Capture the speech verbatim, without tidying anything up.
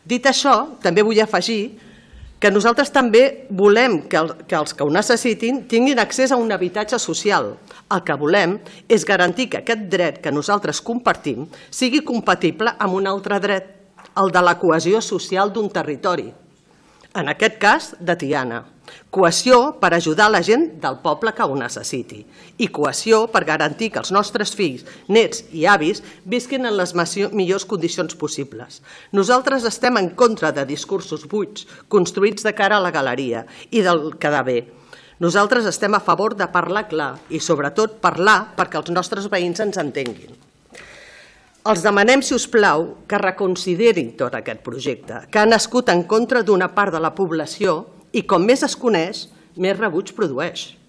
Dit això, també vull afegir que nosaltres també volem que els que ho necessitin tinguin accés a un habitatge social. El que volem és garantir que aquest dret que nosaltres compartim sigui compatible amb un altre dret, el de la cohesió social d'un territori, en aquest cas de Tiana. Cohesió per ajudar la gent del poble que ho necessiti i cohesió per garantir que els nostres fills, nets i avis visquin en les millors condicions possibles. Nosaltres estem en contra de discursos buits construïts de cara a la galeria i del quedar bé. Nosaltres estem a favor de parlar clar i sobretot parlar perquè els nostres veïns ens entenguin. Els demanem, si us plau, que reconsiderin tot aquest projecte, que ha nascut en contra d'una part de la població i com més es coneix, més rebuig produeix.